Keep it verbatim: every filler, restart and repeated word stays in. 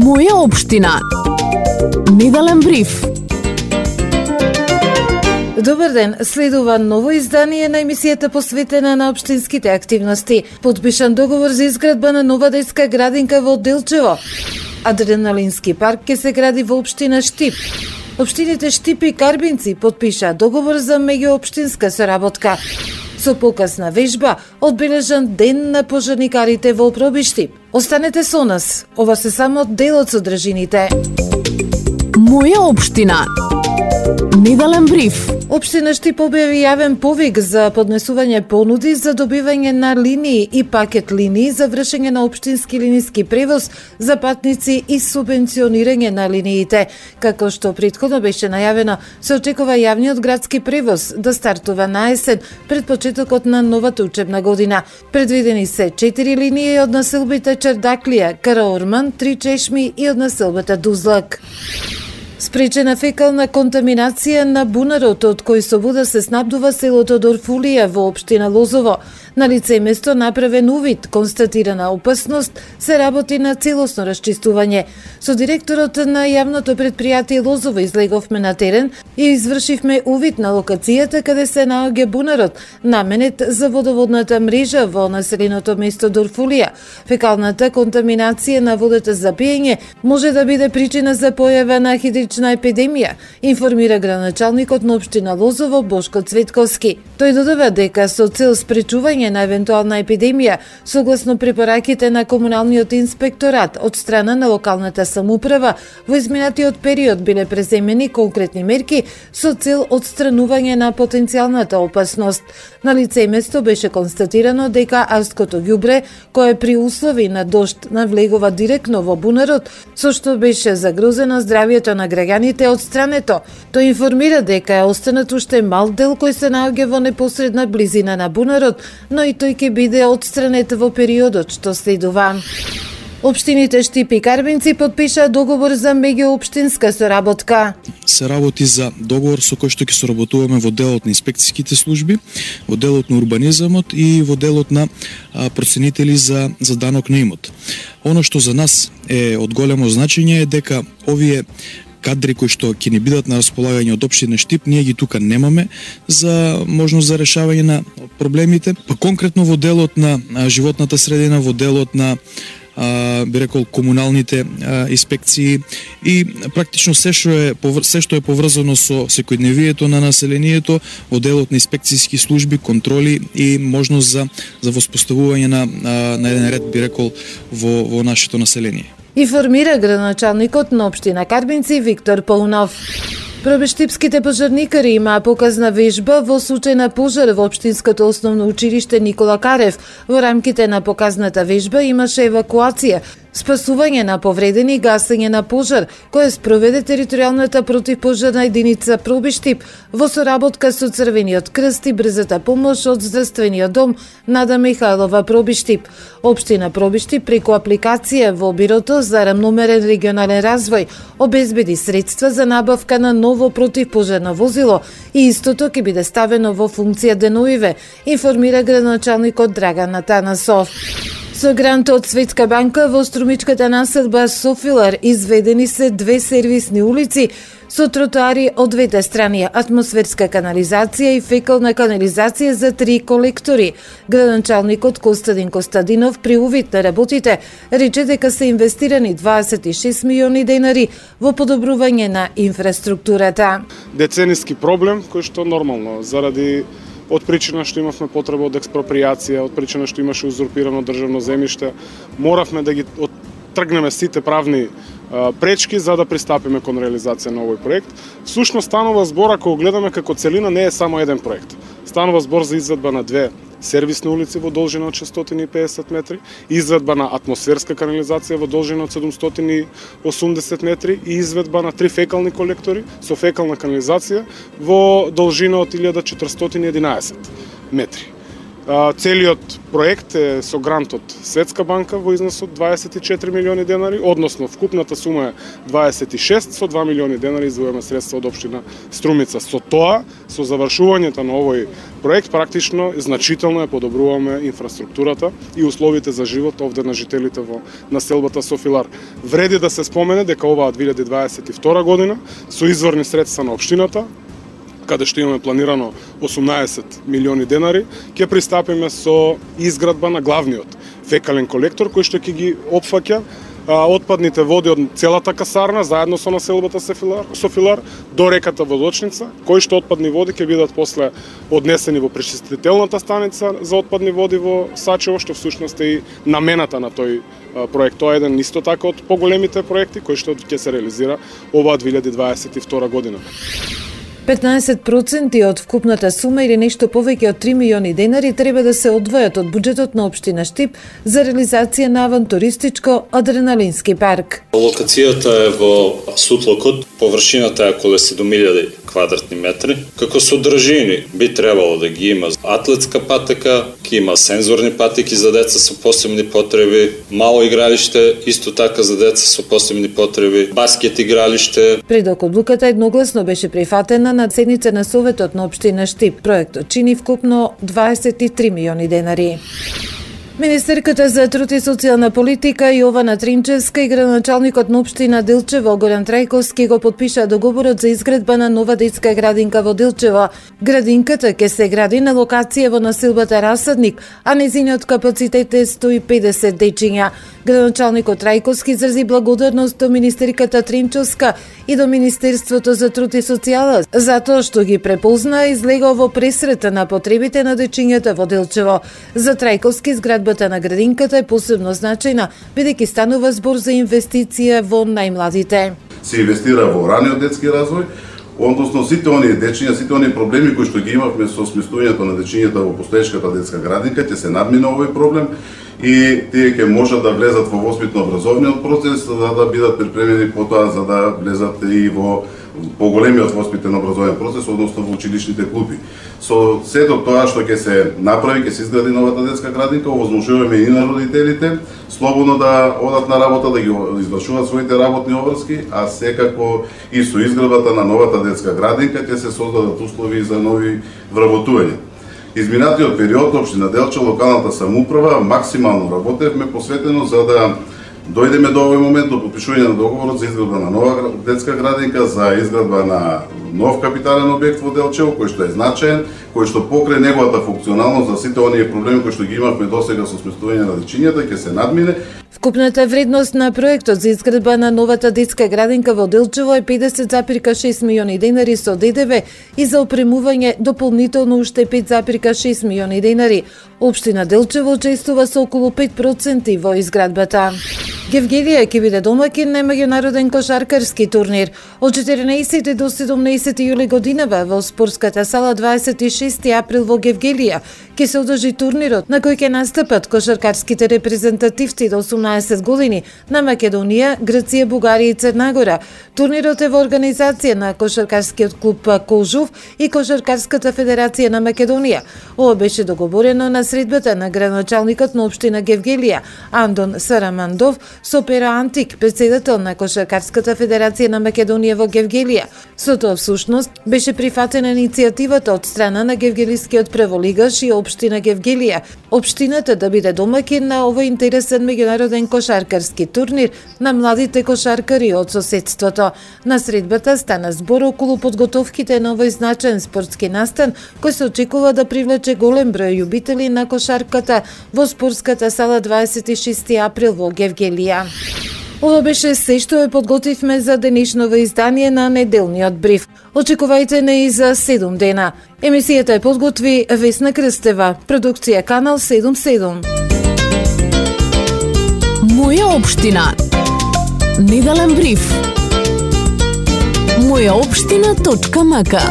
Моја општина. Неделен бриф. Добар ден, следува ново издание на емисијата посветена на општинските активности. Подпишан договор за изградба на нова детска градинка во Делчево. Адреналински парк ќе се гради во општина Штип. Општините Штип и Карбинци подпиша договор за меѓуопштинска соработка. Со покасна вежба, одбележан ден на пожарникарите во Проби Штип. Останете со нас, ова се само дел од содржините. Моја општина. Неделен бриф. Општина Штип објави јавен повик за поднесување понуди за добивање на линии и пакет линии за вршење на општински линиски превоз за патници и субвенционирање на линиите. Како што претходно беше најавено, се очекува јавниот градски превоз да стартува на есен пред почетокот на новата учебна година. Предвидени се четири линии од населбите Чердаклија, Караорман, Три Чешми и од населбата Дузлак. Спречена фекална контаминација на бунарот од кој со вода се снабдува селото Дорфулија во општина Лозово. На лице место направен увид, констатирана опасност, се работи на целосно расчистување. Со директорот на јавното предпријатие Лозово излеговме на терен и извршивме увид на локацијата каде се наоѓа бунарот, наменет за водоводната мрежа во населеното место Дорфулија. Фекалната контаминација на водата за пиење може да биде причина за појава на хидрична епидемија, информира градоначалникот на општина Лозово Бошко Цветковски. Тој додава дека со цел спречување на евентуална епидемија, согласно препораките на комуналниот инспекторат од страна на локалната самоуправа, во изминатиот период биле преземени конкретни мерки со цел одстранување на потенцијалната опасност. На лице место беше констатирано дека арското ѓубре, кое при услови на дожд навлегува директно во бунарот, со што беше загрозено здравјето на граѓаните од страното. Тој информира дека е останат уште мал дел кој се наоѓа во непосредна близина на бунарот, но и тој ќе биде отстранет во периодот што следува. Општините Штип и Карбинци подпиша договор за меѓуопштинска соработка. Се работи за договор со кој што ќе соработуваме во делот на инспекцијските служби, во делот на урбанизамот и во делот на а, проценители за, за данок на имот. Оно што за нас е од големо значење е дека овие кадри кои што ќе ни бидат на располагање од општина Штип, ние ги тука немаме за можност за решавање на проблемите. Па конкретно во делот на животната средина, во делот на а, би рекол комуналните а, инспекции и практично се што е се што е поврзано со секојдневието на населението, во делот на инспекцијски служби, контроли и можност за за воспоставување на на еден ред, би рекол, во во нашето население. Информира градоначалникот на општина Карбинци Виктор Паунов. Пробештипските пожарникари имаа показна вежба во случај на пожар во општинското основно училиште Никола Карев. Во рамките на показната вежба имаше евакуација, спасување на повредени и гасење на пожар, кој спроведе територијалната противпожарна единица Проби Штип во соработка со Црвениот крст и брзата помош од здравствениот дом Нада Михајлова Проби Штип. Општина Проби Штип преку апликација во Бирото за рамномерен регионален развој обезбеди средства за набавка на ново противпожарно возило и истото ќе биде ставено во функција деноиве, информира градоначалникот Драган Атанасов. Со грант од Светска банка во струмичката населба Софилар изведени се две сервисни улици со тротоари од двете страни, атмосферска канализација и фекална канализација за три колектори. Градоначалникот Костадин Костадинов при увид на работите рече дека се инвестирани дваесет и шест милиони денари во подобрување на инфраструктурата. Децениски проблем кој што нормално заради од причина што имавме потреба од експропријација, од причина што имаше узурпирано државно земјиште, моравме да ги тргнеме сите правни а, пречки за да пристапиме кон реализација на овој проект. Всушност станува збор, ако го гледаме како целина, не е само еден проект. Станува збор за изведба на две сервисни улици во должина од шестстотини и педесет метри, изведба на атмосферска канализација во должина од седумстотини и осумдесет метри и изведба на три фекални колектори со фекална канализација во должина од илјада четиристотини и единаесет метри. Целиот проект е со грант од Светска банка во износ од дваесет и четири милиони денари, односно вкупната сума е дваесет и шест, со два милиони денари издвојуваме средства од општина Струмица. Со тоа, со завршувањето на овој проект, практично значително ја подобруваме инфраструктурата и условите за живот овде на жителите во населбата Софилар. Вреди да се спомене дека оваа две илјади дваесет и втора година со изворни средства на општината, каде што имаме планирано осумнаесет милиони денари, ќе пристапиме со изградба на главниот фекален колектор кој што ќе ги опфаќа отпадните води од целата касарна заедно со населбата Софилар, Софилар до реката Водочница, кои што отпадни води ќе бидат после однесени во пречистителната станица за отпадни води во Сачево, што всушност е и намената на тој проект. Тоа е еден исто така од поголемите проекти кои што ќе се реализира оваа две илјади дваесет и втора година. петнаесет проценти од вкупната сума или нешто повеќе од три милиони денари треба да се одвојат од буџетот на општина Штип за реализација на авантуристичко адреналински парк. Локацијата е во Сутлокот, површината е околу седум илјади квадратни метри. Како содржини би требало да ги има атлетска патека, ќе има сензорни патеки за деца со посебни потреби, мало игралиште, исто така за деца со посебни потреби, баскет игралиште. Предок одлуката едногласно беше прифатена на седница на Советот на општина Штип. Проектот чини вкупно дваесет и три милиони денари. Министерката за труд и социјална политика Јована Тринчевска и градоначалникот на општина Делчево Горан Трајковски го потпишаа договорот за изградба на нова детска градинка во Делчево. Градинката ќе се гради на локација во населбата Расадник, а нејзиниот капацитет е сто и педесет дечиња. Градоначалникот Трајковски изрази благодарност до министерката Тринчевска и до Министерството за труд и социјала затоа што ги препозна и излегал во пресрета на потребите на дечињата во Делчево. За Трајковски изградбата на градинката е посебно значајна, бидејќи станува збор за инвестиција во најмладите. Се инвестира во раниот детски развој, односно сите оние дечиња, сите оние проблеми кои што ги имавме со сместувањето на дечињата во постоечката детска градинка, ќе се надмине овој проблем и тие ќе можат да влезат во воспитно-образовниот процес за да бидат припремени потоа за да влезат и во поголемиот воспитен образовен процес, односно во училишните клупи. Со сето тоа што ќе се направи, ќе се изгради новата детска градинка, овозможуваме и на родителите слободно да одат на работа, да ги извршуваат своите работни обврски, а секако и со изградбата на новата детска градинка ќе се создадат услови за нови вработувања. Изминатиот период општина Делча, локалната самоуправа, максимално работевме посветено за да дојдеме до овој момент до потпишување на договорот за изградба на нова детска градинка, за изградба на нов капитален објект во Делчево, кој што е значаен, кој што покрај неговата функционалност за сите оние проблеми кои што ги имавме досега со сместување на дечињата ќе се надмине. Вкупната вредност на проектот за изградба на новата детска градинка во Делчево е педесет зарем шест милиони денари со ДДВ и за опремување дополнително уште пет зарем шест милиони денари. Општина Делчево учествува со околу пет проценти во изградбата. Гевгелија ќе биде домакин на меѓународен кошаркарски турнир. Од четирнаесети до седумнаесети јули годинава во спортската сала дваесет и шести април во Гевгелија ќе се одржи турнирот на кој ќе настапат кошаркарските репрезентативци до осумнаесет години на Македонија, Грција, Бугарија и Црна Гора. Турнирот е во организација на кошаркарскиот клуб Кожув и Кошаркарската федерација на Македонија. Ова беше договорено на средбата на градоначалникот на општина Гевгелија Андон Сарамандов со Пера Антик, председател на Кошаркарската федерација на Македонија во Гевгелија. Со тоа всушност беше прифатена иницијативата од страна на гевгелискиот прволигаш и општина Гевгелија, општината да биде домакин на овој интересен меѓународен кошаркарски турнир на младите кошаркари од соседството. На средбата стана збор околу подготовките на овој значаен спортски настан кој се очекува да привлече голем број љубители на кошарката во спортската сала дваесет и шести април во Гевгелија. Ова беше се што ја подготвивме за денешново издание на неделниот бриф. Очекувајте не и за седум дена. Емисијата ја подготви Весна Крстева, продукција Канал седум седум. Моја општина. Неделен бриф. моја општина точка мака